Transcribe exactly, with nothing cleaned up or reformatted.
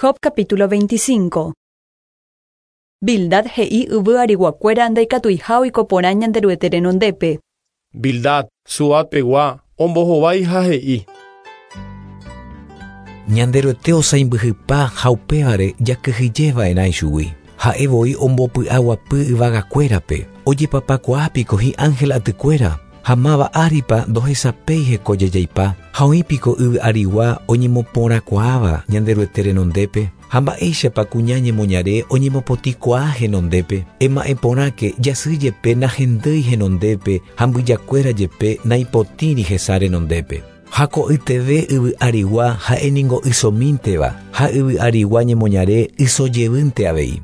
Job capítulo veinticinco. Bildad he'i yvy ariguakuéra ndaikatuiha oiko porã Ñanderuete renondépe. Bildad, Suat pegua, ombohovái ha he'i. Ñanderuete osaimbyhypa ha upévare jakyhyjeva'erã ichugui. Ha'e voi ombopy'aguapy yvagakuérape, ojepapakuaápiko hi'ángel atykuéra, ha máva áripa ndohesapéi hekojejeipa, ha oĩpiko yvy arigua oñemoporãkuaáva Ñanderuete renondépe, ha mba'éichapa kuña ñemoñare oñemopotĩkuaa henondépe, ema'ẽporãke jasy jepe nahendýi henondépe ha mbyjakuéra jepe naipotĩri hesa renondépe. Ha ko'yteve yvy arigua ha'éningo ysomínteva ha yvy arigua ñemoñare ysojevýnte avei.